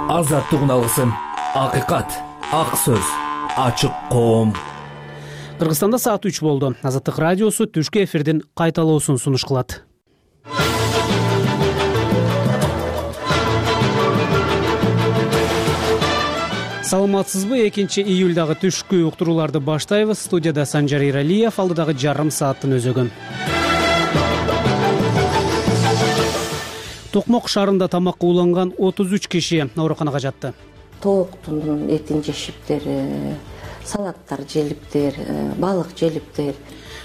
Азаттык алгысым, акыйкат, ак сөз, ачык коом. Кыргызстанда саат 3 болду. Азаттык радиосу түшкү эфирдин кайталоосун сунуш кылат. Саламатсызбы? 2-июлдагы түшкү уктурууларды баштайбыз. Студияда Санжар Иралиев, алдыдагы жарым сааттын өзөгүн. Токмок шаарында тамакка уланган 33 киши ооруканага жатты. Тооктун этин жешиптер, салаттар желиптер, балык желиптер.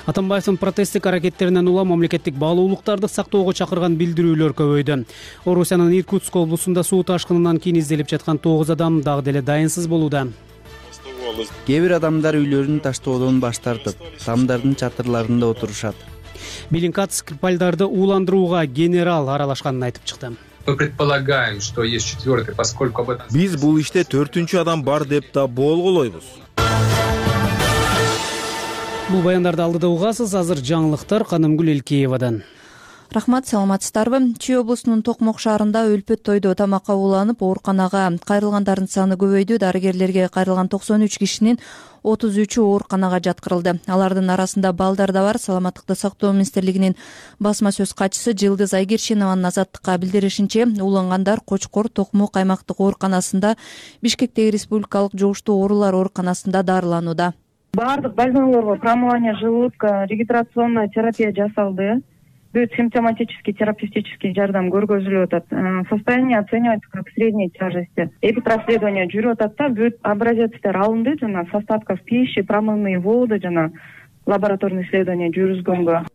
Атамбаевдин протесттик аракеттеринен улам мамлекеттик баалуулуктарды сактоого чакырган билдирүүлөр көбөйдү. Орусиянын Иркутск облусунда суу ташкынынан кийин изделип жаткан 9 адам дагы деле дайынсыз болууда. Кээ бир адамдар үйлөрүн таштоодон баш тартып, тамдардын чатырларында отурушат. Белинкат Скрипальдарды ууландырууга генерал аралашканын айтып чыкты. Мы предполагаем, что есть четвертый, поскольку об этом... Биз бул иште 4-чү адам бар деп да болгулойбуз. Бул баяндарды алдыда угасыз. Азыр жаңылыктар Канымгүл Элкеевадан. Рахмат, саламатсыздарбы? Чүй облусунун Токмок шаарында өлпөт тойдо тамакка ууланып, ооруканага кайрылгандардын саны көбөйдү. Дарыгерлерге кайрылган 93 кишинин 33-ü ооруканага жаткырылды. Алардын арасында балдар да бар. Саламаттыкты сактоо министрлигинин басма сөз катчысы Жылдыз Айгерчинованын Азаттыкка билдиришинче, уулангандар Кочкор Токмок аймактык ооруканасында, Бишкектеги республикалык жугуштуу оорулар ооруканасында дарыланууда. Бардык больнойлорго промывание желудка, регидрационная терапия жасалды. Бүт симптоматический терапевтический жардам көргөзүлүп атат. Состояние оценивается как средней тяжести. Эпипроследование жүрүп атат да, бүт образецтер алынды жана с остатков пищи, промывные воды жана лабораторный исследование жүргүзгөнгө.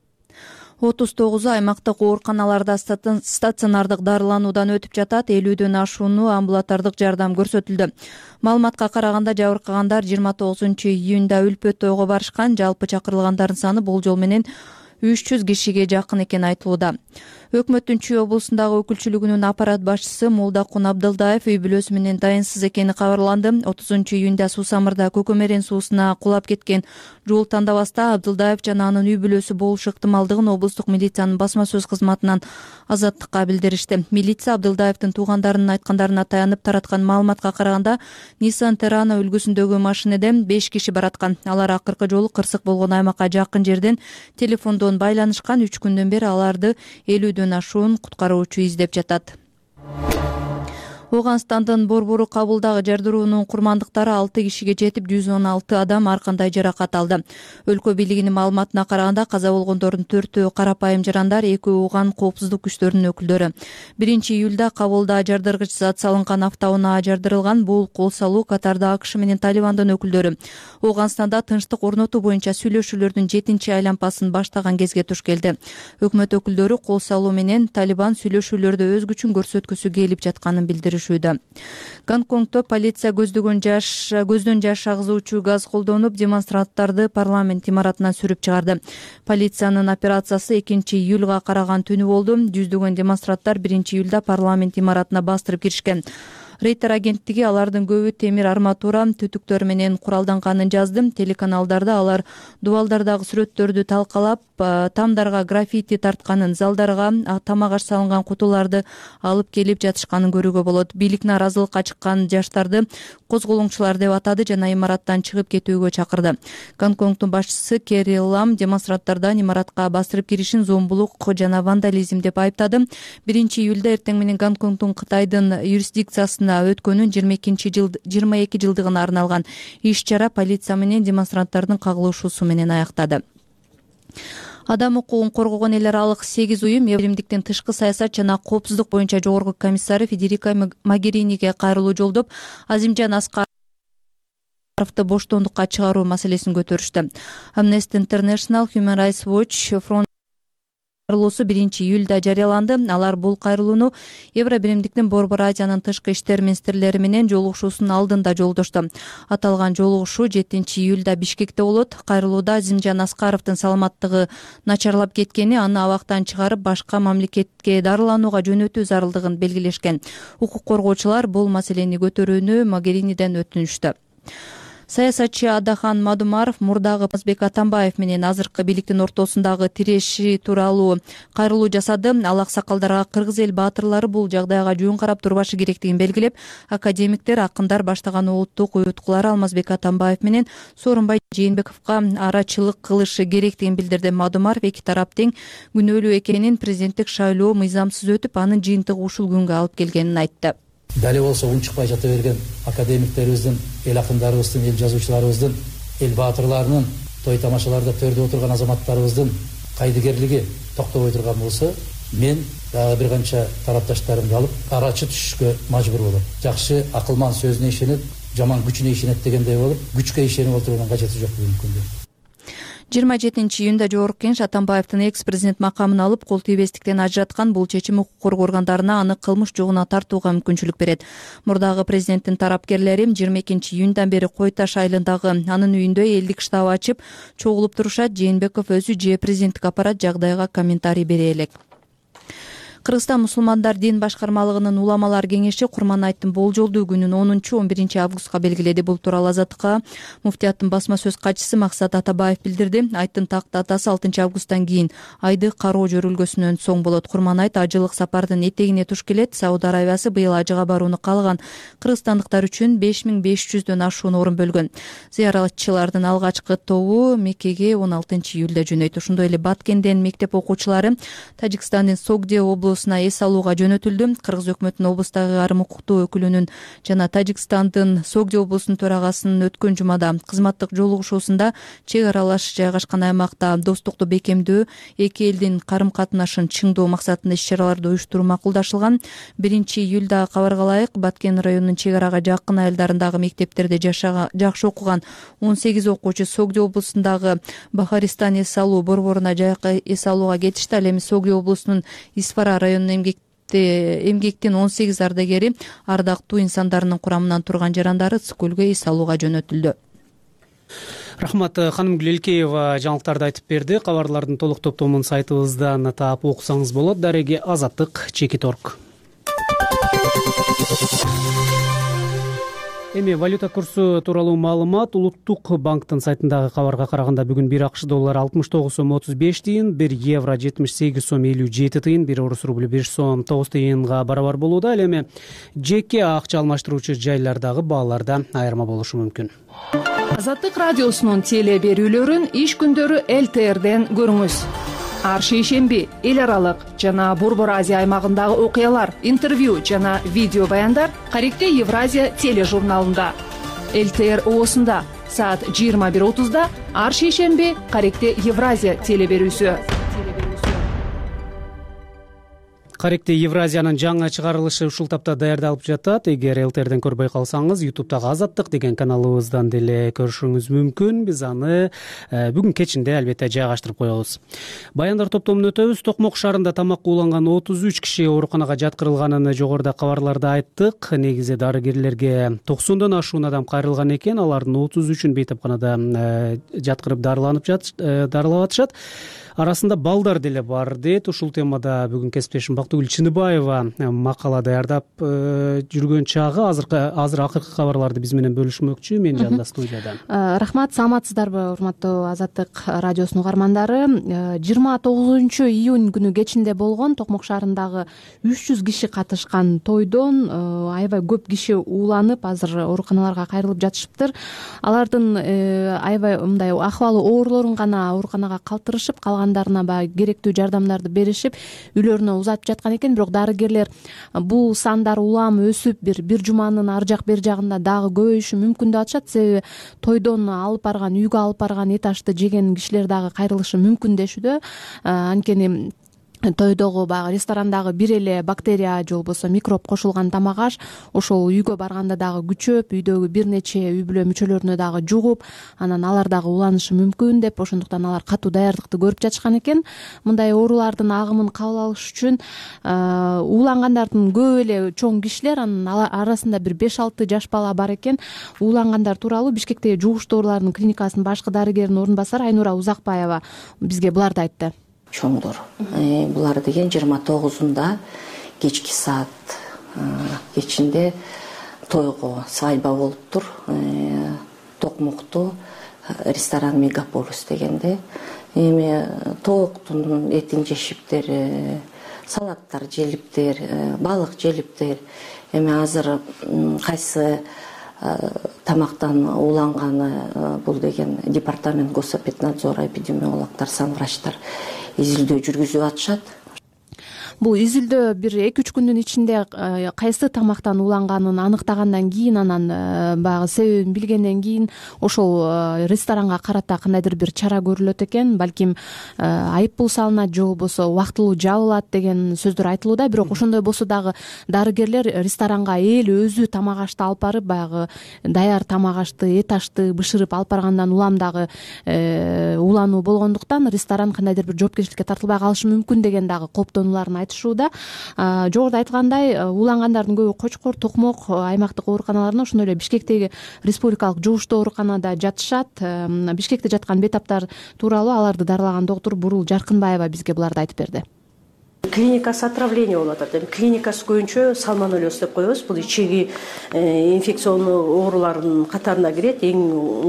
39 аймактык ооруканаларда стационардык дарылануудан өтүп жатат. 50дөн ашууну амбулатордук жардам көрсөтүлдү. Маалыматка караганда жабыркагандар 29-июнда өлпөт тойго барышкан. Жалпы чакырылгандардын саны болжол менен 300 кишиге жакын экени айтылууда. Өкмөттүн Чүй облусундагы өкүлчүлүгүнүн аппарат башчысы Молдакун Абдылдаев үй бүлөсү менен дайынсыз экени кабарланды. 30-июнда Суу-Самырда Көкөмерен суусуна кулап кеткен жол тандабаста Абдылдаев жана анын үй бүлөсү болушу ыктымалдыгын облустук милициянын басма сөз кызматынан Азаттыкка билдиришти. Милиция Абдылдаевдин туугандарынын айткандарына таянып тараткан маалыматка караганда Nissan Terrano үлгүсүндөгү машинеден 5 киши бараткан. Алар акыркы жолу кырсык болгон аймакка жакын жерден телефондон байланышкан. 3 күндөн бери аларды 50дөн ашуун куткаруучу издеп жатат. Оганстандын Борбору Кабулдагы жардыруунун курмандыктары 6 кишиге жетип, 116 адам ар кандай жаракат алды. Өлкө бийлигинин маалыматына караганда каза болгондордун 4-өө карапайым жарандар, 2-өө Уган коопсуздук күчтөрүнүн өкүлдөрү. 1-июлда Кабулда жардыргыч зат салынган автоунаа жардырылган. Бул кол салуу катарда АКШ менен Талибандын өкүлдөрү. Оганстанда тынчтык орнотуу боюнча сүйлөшүүлөрдүн 7-айланпасын баштаган кезге туш келди. Өкмөт өкүлдөрү кол салуу менен Талибан сүйлөшүүлөрдө өз күчүн көрсөткүсү келип жатканын билдиришти. Гонконгдо полиция көздөн жаш агызуучу газ колдонуп, демонстранттарды парламент имаратынан сүрүп чыгарды. Полициянын операциясы 2-июлга караган түнү болду. Жүздөгөн демонстранттар 1-июлда парламент имаратына бастырып киришкен. Рейтер агенттиги алардын көбү темир арматура түтүктөр менен куралданганын жазды. Телеканалдарда алар дубалдардагы сүрөттөрдү талкалап, тамдарга граффити тартканын, залдарга тамак аш салынган кутуларды алып келип жатышканын көрүүгө болот. Бийлик нааразылыкка чыккан жаштарды козголоңчулар деп атады жана имараттан чыгып кетүүгө чакырды. Гонконгдун башчысы Керри Лам демонстранттардан имаратка бастырып киришин зомбулук жана вандализм деп айыптады. 1-июлда эртең менен Гонконгдун Кытайдын юрисдикциясына өткөнүн 22 жылдыгына арналган иш-чара полиция менен демонстранттардын кагылышуусу менен аяктады. Адам укугун коргогон эл аралык 8 уюм Биримдиктин тышкы саясат жана коопсуздук боюнча жогорку комиссары Федерика Могериниге кайрылуу жолдоп, Азимжан Аскаровду боштондукка чыгаруу маселесин көтөрүштү. Amnesty International, Human Rights Watch, Front кайрылуусу 1-июлда жарыяланды. Алар бул кайрылууну Евробиримдиктин Борбор Азиянын тышкы иштер министрлери менен жолугушуусунун алдында жолдошту. Аталган жолугушуу 7-июлда Бишкекте болот. Кайрылууда Азимжан Аскаровдун саламаттыгы начарлап кеткени, аны абактан чыгарып башка мамлекетке дарыланууга жөнөтүү зарылдыгын белгилешкен. Укук коргоочулар бул маселени көтөрүүнү Могериниден өтүнүштү. Саясатчы Адахан Мадумаров мурдагы Алмазбек Атамбаев менен азыркы бийликтин ортосундагы тиреши тууралуу кайрылуу жасады. Ал аксакалдарга кыргыз эл баатырлары бул жагдайга жөн карап турбашы керектигин белгилеп, академиктер, акындар баштаган улуттук уюткулар Алмазбек Атамбаев менен Сооронбай Жээнбековго арачылык кылышы керектигин билдирди. Мадумаров эки тарап тең күнөөлүү экенин, президенттик шайлоо мыйзамсыз өтүп, анын жыйынтыгы ушул күнгө алып келгенин айтты. Дали болсо унчукпай жата берген академиктерибиздин, эл акындарыбыздын, эл жазуучуларыбыздын, эл баатырларынын, той тамашаларда төрдө отурган азаматтарыбыздын кайдыгерлиги токтобой турган болсо, мен дагы бир канча тарапташтарымды алып арачы түшүшкө мажбур болом. Жакшы акылман сөзүнө ишенет, жаман күчүнө ишенет дегендей болуп, күчкө ишенип отурганын кажети жок бүгүнкү күндө. 27-июнда Жогорку Кеңеш Атамбаевдин экс-президент макамын алып кол тийбестиктен ажыраткан. Бул чечим укук коргоо органдарына аны кылмыш жогуна тартууга мүмкүнчүлүк берет. Мурдагы президенттин тарапкерлери 22-июндан бери Кой Таш айылындагы анын үйүндө элдик штаб ачып чогулуп турушат. Жээнбеков өзү же президенттик аппарат жагдайга комментарий бере элек. Кыргызстан мусулмандар дин башкармалыгынын уламалар кеңеши Курманайттын болжолдуу күнүн 10-11 августка белгиледи. Бул тууралуу Азаттыкка муфтияттын басма сөз катчысы Максат Атабаев билдирди. Айттын такт атасы 6 августтан кийин айды кароо жөрүлгөсүнөн соң болот. Курманайт ажылык сапардын этегине туш келет. Сауд Арабиясы быйыл ажыга барууну каалаган кыргызстандыктар үчүн 5500дөн ашуун орун бөлгөн. Зыяратчылардын алгачкы тобу Меккеге 16 июлда жөнөйт. Ошондой эле Баткенден мектеп окуучулары Тажикстандын Согде облусуна эс алууга жөнөтүлдү. Кыргыз өкмөтүнүн облустагы айрым укуктуу өкүлүнүн жана Тажикстандын Согде облусунун төрагасынын өткөн жумада кызматтык жолугушуусунда чек аралаш жайгашкан аймакта достукту бекемдөө, эки элдин карым катнашын чыңдоо максатында иш-чараларды уюштуруу макулдашылган. 1-июлда кабарга ылайык, Баткен районунун чек арага жакын айылдарындагы мектептерде жакшы окуган 18 окуучу Согде облусундагы Бахаристан эс алуу борборуна жайкы эс алууга кетишти. Ал эми Согде облусунун Исфара районунун эмгектин 18 ардагери ардактуу инсандарынын курамынан турган жарандары Цкөлгө эс алууга жөнөтүлдү. Рахмат, ханым Гүлелкеева жаңылыктарды айтып берди. Кабарлардын толук топтомун сайтыбыздан таап окусаңыз болот. Дареги Азаттык Чекит.орг. Эми валюта курсу тууралуу маалымат Улуттук банктын сайтындагы кабарга караганда бүгүн 1 АКШ доллары 69 сом 35 тыйын, 1 евро 78 сом 57 тыйын, 1 орус рубль 5 сом 9 тыйынга барабар болууда. Ал эми жеке акча алмаштыруучу жайлардагы бааларда айырма болушу мүмкүн. Азаттык радиосунун теле берүүлөрүн иш күндөрү ЛТРден көрүңүз. Ар шейшемби эл аралык жана Борбор Азия аймагындагы окуялар, интервью жана видео баяндар Каректе Евразия тележурналында. ЛТР оосунда саат 21:30 ар шейшемби Каректе Евразия теле берүүсү. Каректе Евразиянын жаңы чыгарылышы ушул тапта даярдалып жатат. Эгер ЛТРден көрбөй калсаңыз, YouTube'дагы Азаттык деген каналыбыздан деле көрүшүңүз мүмкүн. Биз аны бүгүн кечинде албетте жайгаштырып коебуз. Баяндар топтомун өтөбүз. Токмок шаарында тамак ууланган 33 киши ооруканага жаткырылганын жогоруда кабарларда айттык. Негизи дарыгерлерге 90дон ашуун адам кайрылган экен. Алардын 33-ün бейтапканада жаткырып дарылап атышат. Арасында балдар деле бар дейт. Ушул темада бүгүн кесиптешим Бактыгүл Чыныбаева макала даярдап жүргөн чагы азыр акыркы кабарларды биз менен бөлүшмөкчү. Мен жанында студияда. Рахмат, саламатсыздарбы урматтуу Азаттык радиосунун угармандары. 29 июнь күнү кечинде болгон Токмок шаарындагы 300 киши катышкан тойдон аябай көп киши ууланып, азыр ооруканаларга кайрылып жатышыптыр. Алардын аябай мындай акыбалы оорлорун гана ооруканага калтырышып, калгандарына баягы керектүү жардамдарды беришип, үйлөрүнө узатып жаткан экен. Бирок дарыгерлер бул сандар улам өсүп, бир жуманын ар жак бер жагында дагы көбөйүшү мүмкүн деп атышат. Себеби тойдон алып барган, үйгө алып барган эт ашты жеген кишилер дагы кайрылышы мүмкүн дешүүдө. Анткени тойдогу баягы ресторандагы бир эле бактерия же болбосо микроб кошулган тамак аш ошол үйгө барганда дагы күчөп, үйдөгү бир нече үй бүлө мүчөлөрүнө дагы жугуп, анан алар дагы уланышы мүмкүн деп, ошондуктан алар катуу даярдыкты көрүп жатышкан экен. Мындай оорулардын агымын кабыл алыш үчүн уулангандардын көп эле чоң кишилер, анын арасында бир 5-6 жаш бала бар экен. Уулангандар тууралуу Бишкектеги жугуштуу оорулардын клиникасынын башкы дарыгеринин орун басары Айнура Узакбаева бизге буларды айтты. Чоңдор. Булар деген 29-унда кечки саат кечинде тойго свадьба болуптур. Токмокту ресторан Мегаполис дегенде эми тооктун этин жешиптер, салаттар желиптер, балык желиптер. Эми азыр кайсы тамактан уланганы бул деген департамент Госэпиднадзора эпидемиологдор, санврачтар изилдөө жүргүзүп атышат. Бул изилдөө бир 2-3 күндүн ичинде кайсы тамактан уланганын аныктагандан кийин, анан баягы себебин билгенден кийин ошол ресторанга карата кандайдыр бир чара көрүлөт экен. Балким айыппул салынат же болбосо убактылуу жабылат деген сөздөр айтылууда. Бирок ошондой болсо дагы дарыгерлер ресторанга эл өзү тамак ашты алып барып, баягы даяр тамак ашты, эт ашты бышырып алып баргандан улам дагы улануу болгондуктан ресторан кандайдыр бир жоопкерчиликке тартылбай калышы мүмкүн деген дагы кооптонууларын айтышууда. Жогоруда айтылгандай, улангандардын көбү Кочкор, Токмок аймактык ооруканаларында, ошондой эле Бишкектеги республикалык жугуштуу ооруканада жатышат. Бишкекте жаткан бейтаптар тууралуу аларды дарылаган доктур Бурул Жаркынбаева бизге буларды айтып берди. Клиникасы отравление болуп атат. Эми клиникасы көбүнчө сальмонеллез деп коебуз. Бул ичеги инфекциондуу оорулардын катарына кирет. Эң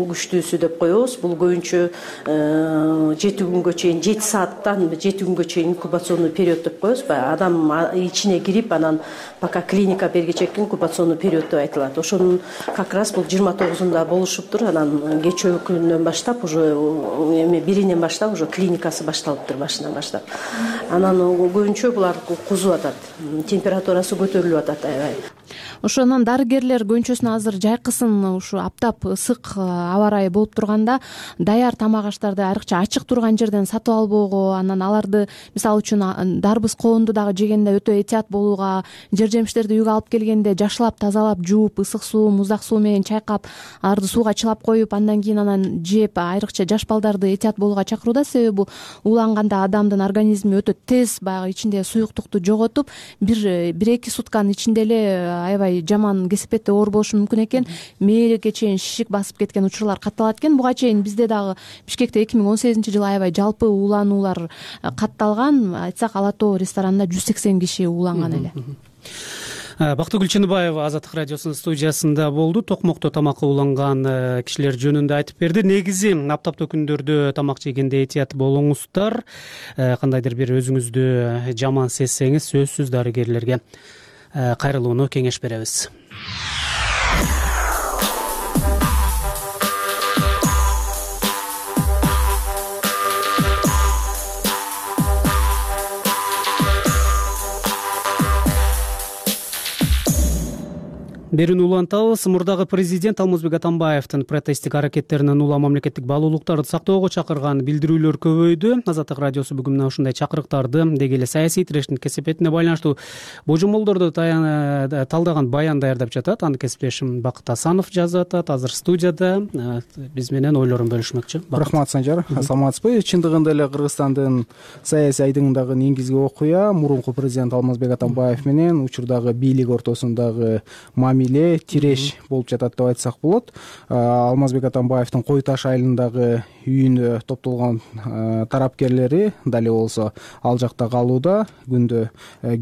күчтүүсү деп коебуз. Бул көбүнчө 7 күнгө чейин, 7 сааттан 7 күнгө чейин инкубационный период деп коебуз. Адам ичине кирип, анан пока клиника бергиче инкубационный период деп айтылат. Ошонун как раз бул 29-унда болушуптур. Анан кечээ күнүнөн баштап уже эми 1-инен баштап уже клиникасы башталыптыр, башынан баштап. Анан көбүнчө булар кузуп атат, температурасы көтөрүлүп атат. Аябай. Ошондон дарыгерлер көбүнчөсүн азыр жайкысын ушу аптап ысык аба ырайы болуп турганда даяр тамак аштарды айрыкча ачык турган жерден сатып албоого, анан аларды мисалы үчүн дарбыз коонду дагы жегенде өтө этият болууга, жер жемиштерди үйгө алып келгенде жашылап, тазалап, жууп, ысык суу, муздак суу менен чайкап, аларды сууга чылап коюп, андан кийин анан жеп, айрыкча жаш балдарды этият болууга чакырууда. Себеби бул уланганда адамдын организми өтө тез баягы ичинде суюктукту жоготуп, 1-2 сутканын ичинде эле аябай жаман кесепетте оор болушу мүмкүн экен. Мээлге чейин шишик басып кеткен учурлар катталат экен. Буга чейин бизде дагы Бишкекте 2018-жылы аябай жалпы улануулар катталган. Айтсак, Ала Тоо ресторанында 180 киши уланган эле. Бактыгүл Чыныбаева Азаттык радиосунун студиясында болду. Токмокто тамакка уланган кишилер жөнүндө айтып берди. Негизи аптаптуу күндөрдө тамак жегенде этият болуңуздар. Кандайдыр бир өзүңүздү жаман сезсеңиз, сөзсүз дарыгерлерге кайрылууну кеңеш беребиз. Берүүнү улантабыз. Мурдагы президент Алмазбек Атамбаевдин протесттик аракеттеринен улам мамлекеттик баалуулуктарды сактоого чакырган билдирүүлөр көбөйдү. Азаттык радиосу бүгүн мына ушундай чакырыктарды деги эле саясий тирештин кесепетине байланыштуу божомолдорду талдаган баян даярдап жатат. Аны кесиптешим Бакыт Асанов жазып атат. Азыр студияда биз менен ойлорун бөлүшмөкчү. Рахмат, Санжар. Саламатсызбы? Чындыгында эле Кыргызстандын саясий айдыңындагы негизги окуя мурунку президент Алмазбек Атамбаев менен учурдагы бийлик ортосундагы тиреш болуп жатат деп айтсак болот. Алмазбек Атамбаевдин Кой Таш айылындагы үйүнө топтолгон тарапкерлери дали болсо ал жакта калууда. Күндө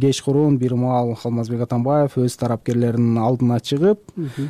кечкурун бир маал Алмазбек Атамбаев өз тарапкерлеринин алдына чыгып,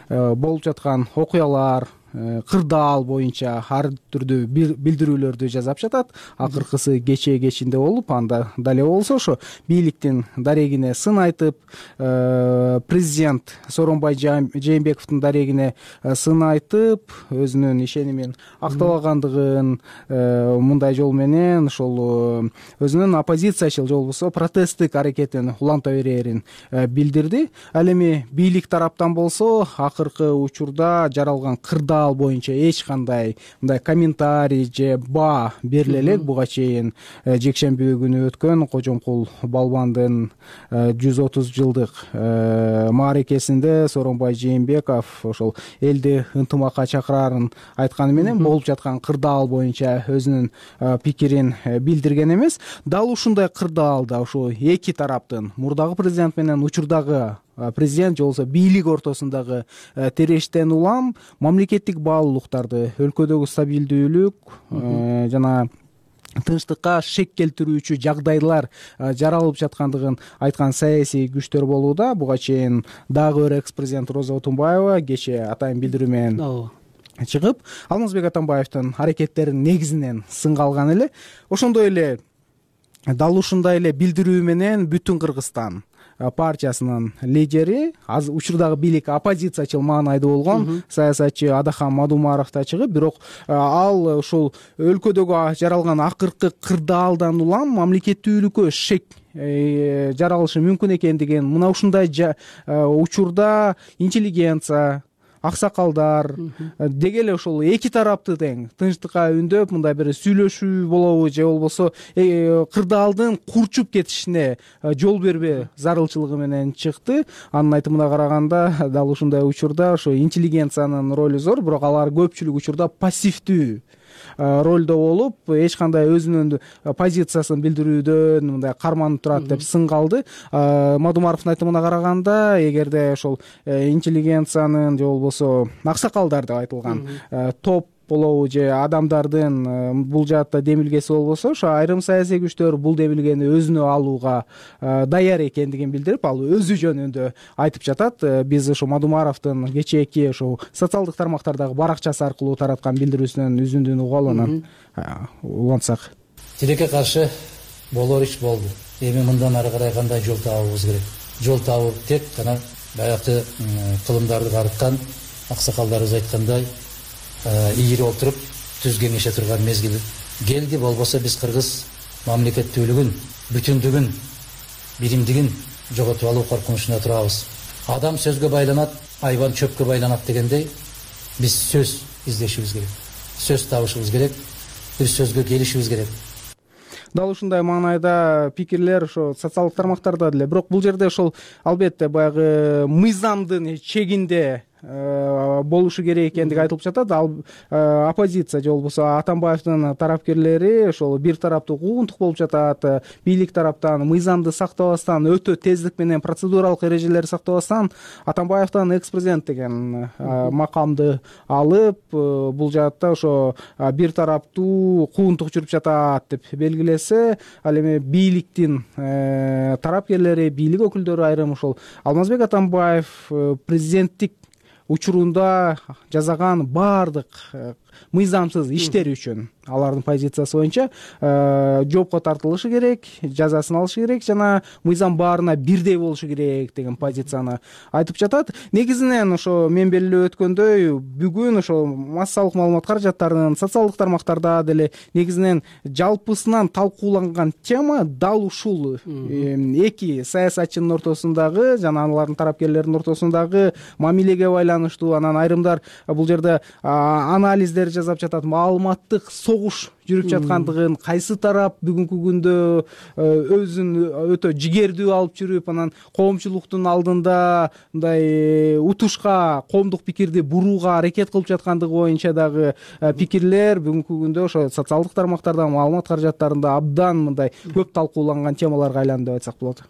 болуп жаткан окуялар, кырдаал боюнча ар түрдүү билдирүүлөрдү жасап жатат. Акыркысы кечинде болуп, анда дале болсо ошо бийликтин дарегине сын айтып, президент Сооронбай Жээнбековдун дарегине сын айтып, өзүнүн ишенимин актабагандыгын, мындай жол менен ошол өзүнүн оппозициячыл же болбосо протесттик аракетин уланта берерин билдирди. Ал эми бийлик тараптан болсо акыркы учурда жаралган кырдаал боюнча эч кандай мындай комментарий же баа бериле элек. Буга чейин жекшемби күнү өткөн Кожомкул балбандын 130 жылдык мааракесинде Сооронбай Жээнбеков ошол элди ынтымакка чакырарын айтканы менен болуп жаткан кырдаал боюнча өзүнүн пикирин билдирген эмес. Дал ушундай кырдаалда ошо эки тараптын, мурдагы президент менен учурдагы президент же болбосо бийлик ортосундагы тирештен улам мамлекеттик баалуулуктарды, өлкөдөгү стабилдүүлүк жана тынчтыкка шек келтирүүчү жагдайлар жаралып жаткандыгын айткан саясий күчтөр болууда. Буга чейин дагы бир экс президент Роза Отунбаева кечээ атайын билдирүү менен чыгып Алмазбек Атамбаевдин аракеттеринин негизинен сынга алган эле. Ошондой эле дал ушундай эле билдирүү менен Бүтүн Кыргызстан партиясынын лидери, учурдагы бийлик оппозициячыл маанайда болгон саясатчы Адахан Мадумаров да чыгып, бирок ал ушул өлкөдөгү жаралган акыркы кырдаалдан улам мамлекеттүүлүккө шек жаралышы мүмкүн экендигин, мына ушундай учурда интеллигенция, аксакалдар деги эле ошол эки тарапты тең тынчтыкка үндөп мындай бир сүйлөшүү болобу же болбосо кырдаалдын курчуп кетишине жол бербөө зарылчылыгы менен чыкты. Анын айтымына караганда дал ушундай учурда ошо интеллигенциянын ролу зор, бирок алар көпчүлүк учурда пассивдүү ролдо болуп, эч кандай өзүнүн позициясын билдирүүдөн мындай карманып турат деп сынга алды. Мадумаровдун айтымына караганда, эгерде ошол интеллигенциянын же болбосо аксакалдар деп айтылган топ болобу же адамдардын бул жаатта демилгеси болбосо, ошо айрым саясий күчтөр бул демилгени өзүнө алууга даяр экендигин билдирип, ал өзү жөнүндө айтып жатат. Биз ошо Мадумаровдун кечээки ошо социалдык тармактардагы баракчасы аркылуу тараткан билдирүүсүнөн үзүндүн угалы, анан улантсак. Тилекке каршы болор иш болду. Эми мындан ары карай кандай жол табабыз керек? Жол табуу тек гана баягы кылымдарды карыткан аксакалдарыбыз айткандай ийири отуруп түз кеңеше турган мезгил келди. Болбосо биз кыргыз мамлекеттүүлүгүн, бүтүндүгүн, биримдигин жоготуп алуу коркунучунда турабыз. Адам сөзгө байланат, айбан чөпкө байланат дегендей, биз сөз издешибиз керек, сөз табышыбыз керек, бир сөзгө келишибиз керек. Дал ушундай маанайда пикирлер ошо социалдык тармактарда деле, бирок бул жерде ошол албетте баягы мыйзамдын чегинде болушу керек экендиги айтылып жатат. Ал оппозиция же болбосо Атамбаевдин тарапкерлери ошол бир тараптуу куугунтук болуп жатат. Бийлик тараптан мыйзамды сактабастан, өтө тездик менен процедуралык эрежелерди сактабастан Атамбаевдин экс-президент деген макамды алып, бул жаатта ошо бир тараптуу куугунтук жүрүп жатат деп белгилесе, ал эми бийликтин тарапкерлери, бийлик өкүлдөрү айрым ошол Алмазбек Атамбаев президенттик учурунда жасаган баардык мыйзамсыз иштери үчүн алардын позициясы боюнча жоопко тартылышы керек, жазасын алышы керек жана мыйзам баарына бирдей болушу керек деген позицияны айтып жатат. Негизинен ошо мен белгилеп өткөндөй, бүгүн ошо массалык маалымат каражаттарынын социалдык тармактарда деле негизинен жалпысынан талкууланган тема дал ушул эки саясатчынын ортосундагы жана алардын тарапкерлеринин ортосундагы мамилеге байланыштуу. Анан айрымдар бул жерде анализдер жасап жатат, маалыматтык согуш жүрүп жаткандыгын, кайсы тарап бүгүнкү күндө өзүн өтө жигердүү алып жүрүп, анан коомчулуктун алдында мындай утушка, коомдук пикирди бурууга аракет кылып жаткандыгы боюнча дагы пикирлер бүгүнкү күндө ошо социалдык тармактарда, маалымат каражаттарында абдан мындай көп талкууланган темаларга айланды деп айтсак болот.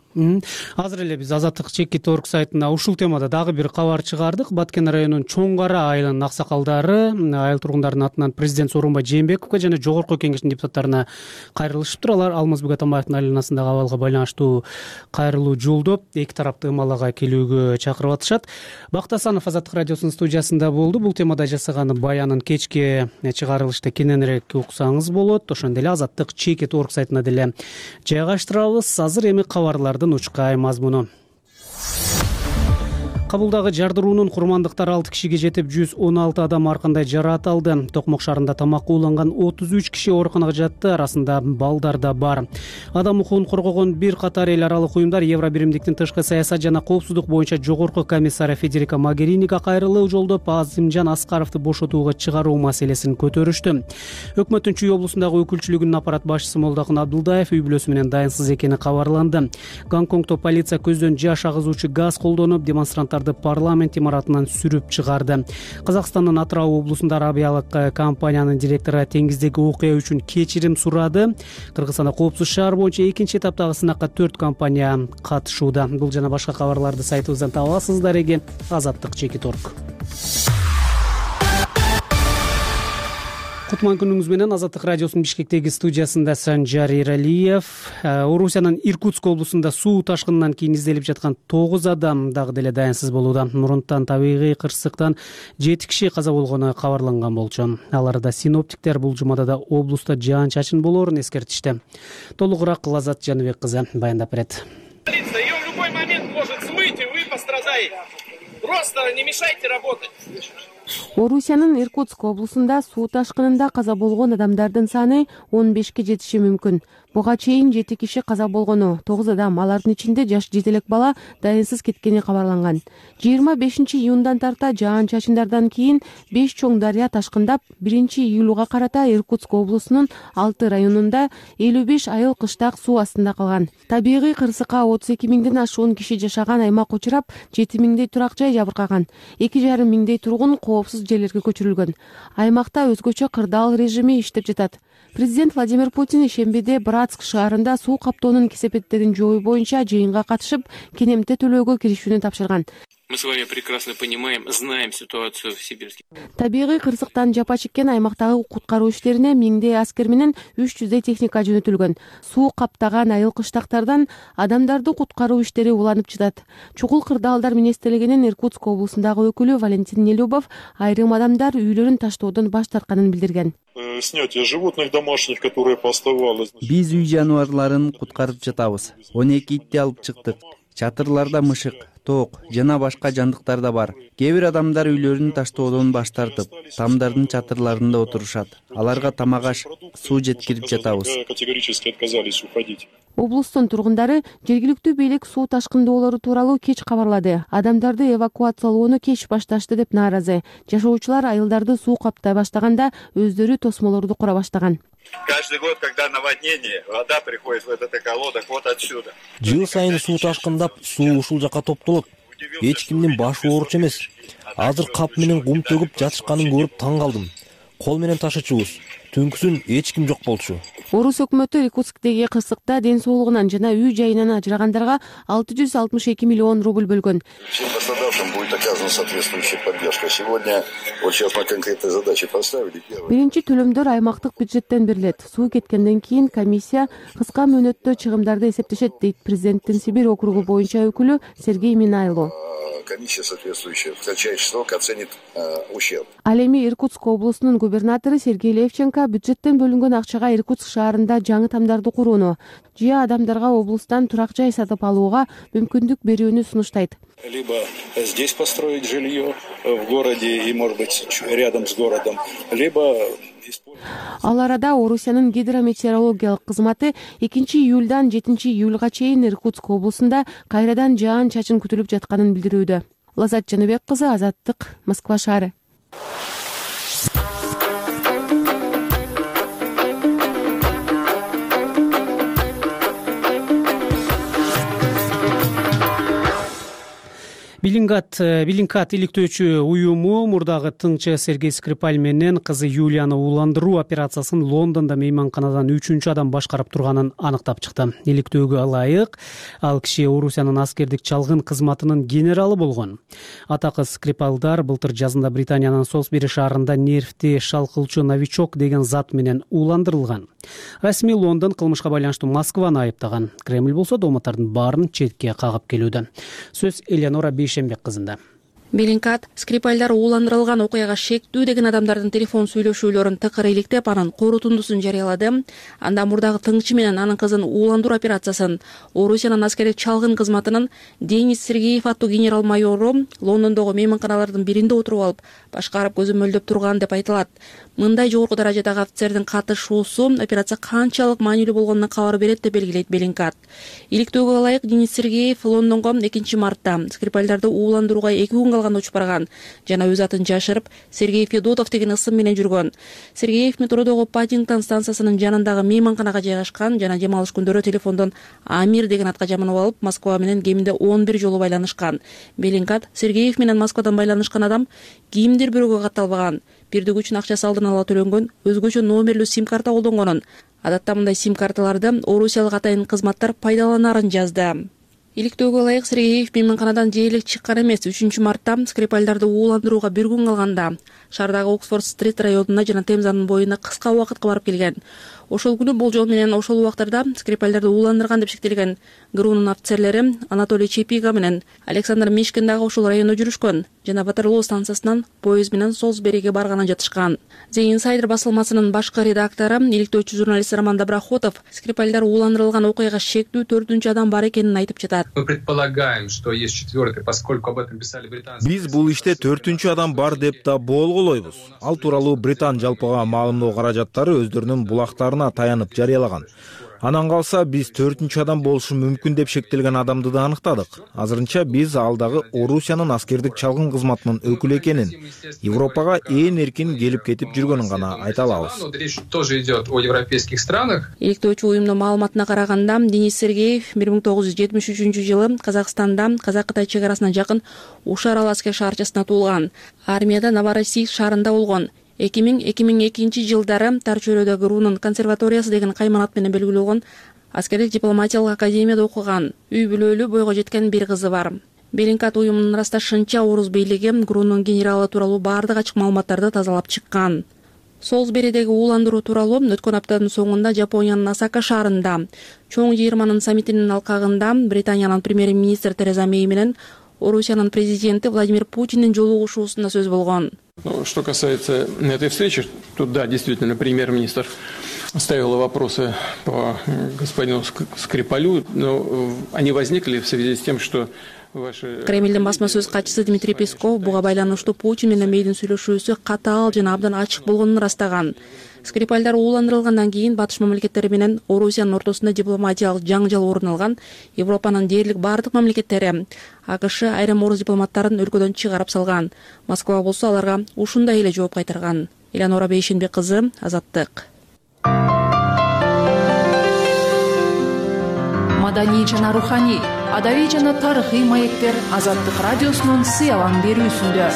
Азыр эле биз Азаттык Чекит.org сайтына ушул темада дагы бир кабар чыгардык. Баткен районунун Чоң Кара айылынын аксакалдары айыл тургундарынын атынан президент Сооронбай Жээнбековго жана Жогорку Кеңештин депутаттарына кайрылышыптыр. Алар Алмазбек Атамбаевдин айланасындагы абалга байланыштуу кайрылуу жолдоп, эки тарапты ымалага келүүгө чакырып атышат. Бакыт Асанов Азаттык радиосунун студиясында болду. Бул темада жасаган баянын кечки чыгарылышта кененирээк уксаңыз болот. Ошондой эле Азаттык Чекит.org сайтына деле жайгаштырабыз. Азыр эми кабарлардын учкай мазмуну. Кабулдагы жардыруунун курмандыктары 6 кишиге жетип, 116 адам ар кандай жараат алды. Токмок шаарында тамакка ууланган 33 киши ооруканага жатты, арасында балдар да бар. Адам укугун коргогон бир катар эл аралык уюмдар Евро биримдиктин тышкы саясат жана коопсуздук боюнча жогорку комиссары Федерика Могериника кайрылуу жолдоп, Азимжан Аскаровду бошотууга чыгаруу маселесин көтөрүштү. Өкмөттүн Чүй облусундагы өкүлчүлүгүнүн аппарат башчысы Молдокун Абдулдаев үй бүлөсү менен дайынсыз экени кабарланды. Гонконгдо полиция көздөн жаш агызуучу газ колдонуп, демонстранттарды парламент имаратынан сүрүп чыгарды. Казакстандын Атырау облусунда авиалык компаниянын директору теңиздеги окуя үчүн кечирим сурады. Кыргызстанда коопсуз шаар боюнча экинчи этаптагы сынакка 4 компания катышууда. Бул жана башка кабарларды сайтыбыздан таба аласыздар. Эги. 。 。 。 。 . 。 . 。 . 。 . 。 . 。 . 。 . 。 . 。 . 。 . 。 . 。 . 。 . 。 . 。 . 。 . 。 . 。 . 。 . 。 . 。 . 。 . 。 . 。 . 。 . 。Кутман күнүңүз менен. Азаттык радиосунун Бишкектеги студиясында Санжар Эралиев. Орусиянын Иркутск облусунда суу ташкынынан кийин изделип жаткан 9 адам дагы деле даянсыз болууда. Мурунтан табигый кырсыктан 7 киши каза болгону кабарланган болчу. Аларда синоптиктер бул жумада да облуста жаан-чачын болоорун эскертишти. Толугураак Лазат Жаныбек кызы баяндап берет. Ее в любой момент может смыть, и вы пострадаете. Просто не мешайте работать. Орусиянын Иркутск облусунда суу ташкынында каза болгон адамдардын саны 15ке жетиши мүмкүн. Буга чейин 7 киши каза болгону, 9 адам, алардын ичинде жаш жетелек бала даянсыз кеткени кабарланган. 25-июндан тарта жаан-чачындардан кийин 5 чоң дарыя ташкындап, 1-июлга карата Иркутск облусунун 6 районунда 55 айыл кыштак суу астында калган. Табигый кырсыкка 32 миңден ашуун киши жашаган аймак учурап, 7 миңдей турак жай жабыркаган. 2,5 миңдей тургун коопсуз жерлерге көчүрүлгөн. Аймакта өзгөчө кырдаал режими иштеп жатат. Президент Владимир Путин ишембиде Братск шаарында суу каптоонун кесепеттерин жоюу боюнча жыйынга катышып, кенемте төлөөгө киришүүнү тапшырган. Мы с вами прекрасно понимаем, знаем ситуацию в Сибирске. Табигый кырсыктан жапа чеккен аймактагы куткаруу иштерине 1000 аскер менен 300 техника жөнөтүлгөн. Суу каптаган айыл кыштактардан адамдарды куткаруу иштери уланып жатат. Чукул кырдаалдар министрлигинин Иркутск облусундагы өкүлү Валентин Нелюбов айрым адамдар үйлөрүн таштоодон баш тартканын билдирген. Снятие животных домашних, которые поставалось. Биз үй жаныбарларын куткарып жатабыз. 12 итти алып чыктык. Чатырларда мышык, тоок жана башка жандыктар да бар. Кээ бир адамдар үйлөрүн таштоодон баш тартып, тамдардын чатырларында отурушат. Аларга тамак аш, суу жеткирип жатабыз. Категорически отказались уходить. Облустун тургундары жергиликтүү бийлик суу ташкындоолору тууралуу кеч кабарлады. Адамдарды эвакуациялоону кеч башташты деп нааразы. Жашоочулар айылдарды суу каптай баштаганда өздөрү тосмолорду кура баштаган. Каждый год, когда наводнение, вода приходит в этот эколодок вот отсюда. Жыл сайын суу ташкындап, суу ушул жака топтолот. Эч кимдин башы ооруч эмес. Азыр кап менен кум төгүп жатышканын көрүп таң калдым. Кол менен ташычубуз. Түнкүсүн эч ким жок болчу. Орус өкмөтү Иркутсктеги кырсыкта ден соолугунан жана үй жайынан ажырагандарга 662 миллион рубль бөлгөн. Всем пострадавшим будет оказана соответствующая поддержка. Сегодня вот сейчас мы конкретные задачи поставили. Биринчи төлөмдөр аймактык бюджеттен берилет. Суу кеткенден кийин комиссия кыска мөөнөттө чыгымдарды эсептешет, дейт президенттин Сибирь округу боюнча өкүлү Сергей Минайло. Комиссия соответствующая в кратчайший срок оценит ущерб. Ал эми Иркутск облусунун губернатору Сергей Левченко бюджеттен бөлүнгөн акчага Иркутск шаарында жаңы тамдарды курууну, жыя адамдарга облустан турак жай сатып алууга мүмкүндүк берүүнү сунуштайт. Либо здесь построить жилье в городе и, может быть, рядом с городом, либо... Ал арада Орусиянын гидрометеорологиялык кызматы 2-июлдан 7-июлга чейин Иркутск облусунда кайрадан жаан-чачын күтүлүп жатканын билдирүүдө. Лазат Жаныбек кызы, Азаттык, Москва шаары. Билингкат иликтөөчү уюму мурдагы тыңчы Сергей Скрипаль менен кызы Юлияны ууландыруу операциясын Лондондо мейманканадан 3-чү адам башкарып турганын аныктап чыкты. Иликтөөгө ылайык ал киши Орусиянын аскердик чалгын кызматынын генералы болгон. Атакы Скрипалдар былтыр жазында Британиянын Солсбери шаарында нервти шалкылчу новичок деген зат менен ууландырылган. Расмий Лондон кылмышка байланыштуу Москваны айыптаган. Кремль болсо дооматтардын баарын четке кагып келүүдө. Сөз Элеонора Бейшембек кызында. Билингкат Скрипальдар ууландырылган окуяга шектүү деген адамдардын телефон сүйлөшүүлөрүн тыкыр иликтеп, анын корутундусун жарыялады. Анда мурдагы тыңчы менен анын кызын ууландыруу операциясын Орусиянын аскердик чалгын кызматынын Денис Сергеев аттуу генерал-майору Лондондогу мейманканалардын биринде отуруп алып, башкарып көзөмөлдөп турган деп айтылат. Мындай жогорку даражадагы офицердин катышуусу операция канчалык маанилүү болгонуна кабар берет деп белгилейт Билингкат. Иликтөөгө ылайык Денис Сергеев Лондонго 2 мартта Скрипальдарды ууландырууга 2 күн калганда учуп барган жана өз атын жашырып Сергей Федотов деген ысым менен жүргөн. Сергеев метродогу Паддингтон станциясынын жанындагы мейманканага жайгашкан жана дем алыш күндөрү телефондон Амир деген атка жаманып алып, Москва менен кеминде 11 жолу байланышкан. Билингкат Сергеев менен Москвадан байланышкан адам кимдир бирөөгө катталбаган, бирдик үчүн акчасы алдын ала төлөнгөн, өзгөчө номерлүү сим-карта колдонгонун. Адатта мындай сим-карталарды орусиялык атайын кызматтар пайдаланарын жазды. Иликтөөгө ылайык Сергеев мейманканадан дээрлик чыккан эмес. 3-мартта Скрипальдарды ууландырууга бир күн калганда шаардагы Оксфорд-стрит районуна жана Темзанын боюна кыска убакытка барып келген. Ошол күнү болжол менен ошол убактарда Скрипальдарды ууландырган деп шектелген ГРУнун офицерлери Анатолий Чепига менен Александр Мишкин дагы ошол райондо жүрүшкөн жана Ватерлоо станциясынан поезд менен Солсбериге барганын жатышкан. The Insider басылмасынын башкы редактору, иликтөөчү журналист Роман Доброхотов Скрипальдар ууландырылган окуяга шектүү 4-үнчү адам бар экенин айтып жатат. Мы предполагаем, что есть 4-й, поскольку об этом писали британцы. Биз бул иште 4-үнчү адам бар деп да болгулойбуз. Ал тууралуу Британ жалпыга маалымдоо каражаттары өздөрүнүн булактарына таянып жарыялаган. Анан калса биз 4-үнчү адам болушу мүмкүн деп шектелген адамды да аныктадык. Азырынча биз ал дагы Орусиянын аскердик чалгын кызматынын өкүлү экенин, Европага ээн эркин келип кетип жүргөнүн гана айта алабыз. Речь тоже идет о европейских странах. Иликтөөчү уюмдун маалыматына караганда Денис Сергеев 1973-жылы Казакстанда Казак-Кытай чек арасына жакын Ушар Аласкер шаарчасында туулган. Армияда Новороссийск шаарында болгон. 2000-2002 жылдары Тар чөйрөдө ГРУнун консерваториясы деген кайманат менен белгилүү болгон аскердик дипломатиялык академияда окуган. Үй бүлөлүү бойго жеткен бир кызы бар. Белинкат уюмунун ырасташынча Орус бийлиги ГРУнун генералы тууралуу баардык ачык маалыматтарды тазалап чыккан. Солсберидеги ууландыруу тууралуу өткөн аптанын соңунда Жапониянын Осака шаарында чоң жыйырманын саммитинин алкагында Британиянын премьер-министри Тереза Мей менен Орусиянын президенти Владимир Путиндин жолугушуусунда сөз болгон. Что касается этой встречи, то да, действительно, премьер-министр ставил вопросы по господину Скрипалю, но они возникли в связи с тем, что Кремлдин басма сөз катчысы Дмитрий Песков буга байланыштуу Путин менен Мейдин сүйлөшүүсү катаал жана абдан ачык болгонун ырастаган. Скрипальдар ууландырылгандан кийин Батыш мамлекеттери менен Орусиянын ортосунда дипломатиялык жаңжал орун алган. Европанын дээрлик бардык мамлекеттери АКШ айрым орус дипломаттарын өлкөдөн чыгарып салган. Москва болсо аларга ушундай эле жооп кайтарган. Элеонора Бейшенбек кызы, Азаттык. Маданий жана руханий, адабий жана тарыхый маектер Азаттык радиосунун сыялан берүүсүндө.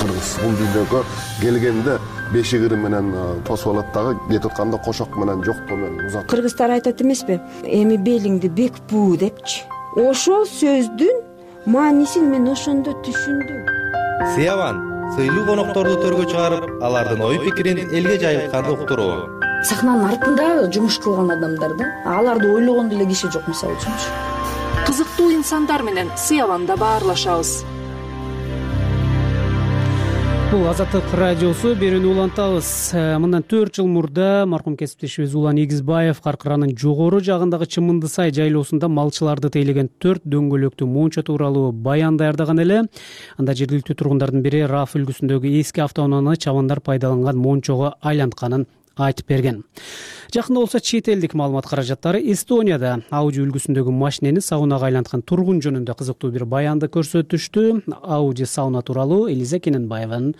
Кыргыз бул дүйнөгө келгенде бешигири менен тосуп алат дагы, кетип атканда кошок менен жоктоо менен узат. Кыргыздар айтат эмеспи? Эми белиңди бек буу депчи. Ошол сөздүн маанисин мен ошондо түшүндүм. Сыяван сыйлуу конокторду төргө чыгарып, алардын ой пикирин элге жайылтканды уктуруу. Сахнанын артында жумуш кылган адамдар да, аларды ойлогон деле киши жок, мисалы үчүнчү. Кызыктуу инсандар менен Сыяванда баарлашабыз. Бул Азаттык радиосу, берүүнү улантабыз. Мындан 4 жыл мурда маркум кесиптешибиз Улан Игизбаев Каркыранын жогору жагындагы Чымынды сай жайлоосунда малчыларды тейлеген 4 дөңгөлөктүү мончо тууралуу баян даярдаган эле. Анда жергиликтүү тургундардын бири Раф үлгүсүндөгү эски автоунааны чабандар пайдаланган мончого айлантканын айтып берген. Жакында болсо чет элдик маалымат каражаттары Эстонияда Ауди үлгүсүндөгү машинени саунага айланткан тургун жөнүндө кызыктуу бир баянды көрсөтүштү. Ауди сауна тууралуу Элиза Кененбаева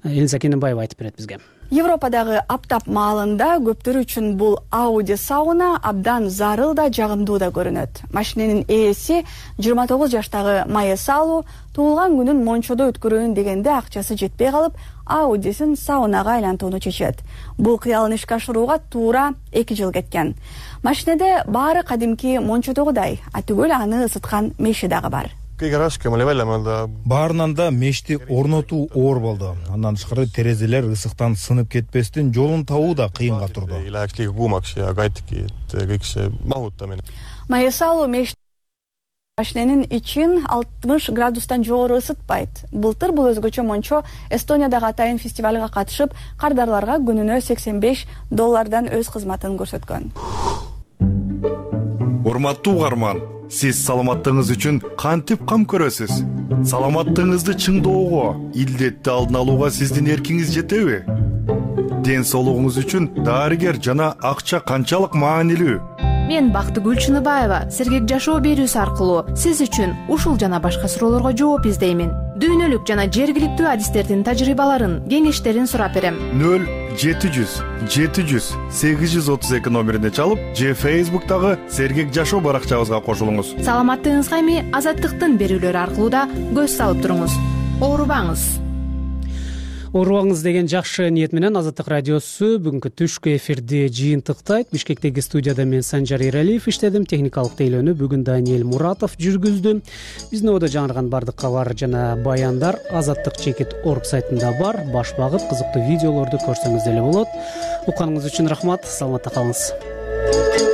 айтып берет бизге. Европадагы аптап маалында көптөр үчүн бул Ауди сауна абдан зарыл да жагымдуу да көрүнөт. Машиненин ээси 29 жаштагы Майя Салу туулган күнүн мончодо өткөрөйүн дегенде акчасы жетпей калып, Аудисин саунага айлантууну чечет. Бул кыялын ишке ашырууга туура 2 жыл кеткен. Машинеде баары кадимки мончодогудай, түгөл аны ысыткан меши дагы бар. Баарынан да мешти орнотуу оор болду. Андан тышкары терезелер ысыктан сынып кетпестен жолун табуу да кыйынга турду. Майесалу машиненин ичин 60 градустан жогору ысытпайт. Былтыр бул өзгөчө мончо Эстониядагы атайын фестивалга катышып, кардарларга күнүнө $85 өз кызматын көрсөткөн. Урматтуу угарман, сиз саламаттыгыңыз үчүн кантип кам көрөсүз? Саламаттыгыңызды чыңдоого, илдетти алдын алууга сиздин эркиңиз жетеби? Ден соолугуңуз үчүн дарыгер жана акча канчалык маанилүү? Мен Бактыгүл Чыныбаева сергек жашоо берүүсү аркылуу сиз үчүн ушул жана башка суроолорго жооп издеймин. Дүйнөлүк жана жергиликтүү адистердин тажрыйбаларын, кеңештерин сурап берем. 0-700-832 номерине чалып, же Facebook'тагы сергек жашоо баракчабызга кошулуңуз. Саламаттыгыңызга эми Азаттыктын берүүлөрү аркылуу да көз салып туруңуз. Оорубаңыз. оорубаңыз деген жакшы ниет менен Азаттык радиосу бүгүнкү түшкү эфирди жыйынтыктайт. Бишкектеги студияда мен Санжар Эралиев иштедим. Техникалык тейлөөнү бүгүн Даниэль Муратов жүргүздү. Биздин ободо жаңырган бардык кабар жана баяндар Азаттык.org сайтында бар. Баш багып кызыктуу видеолорду көрсөңүз деле болот. Укканыңыз үчүн рахмат. Саламатта калыңыз.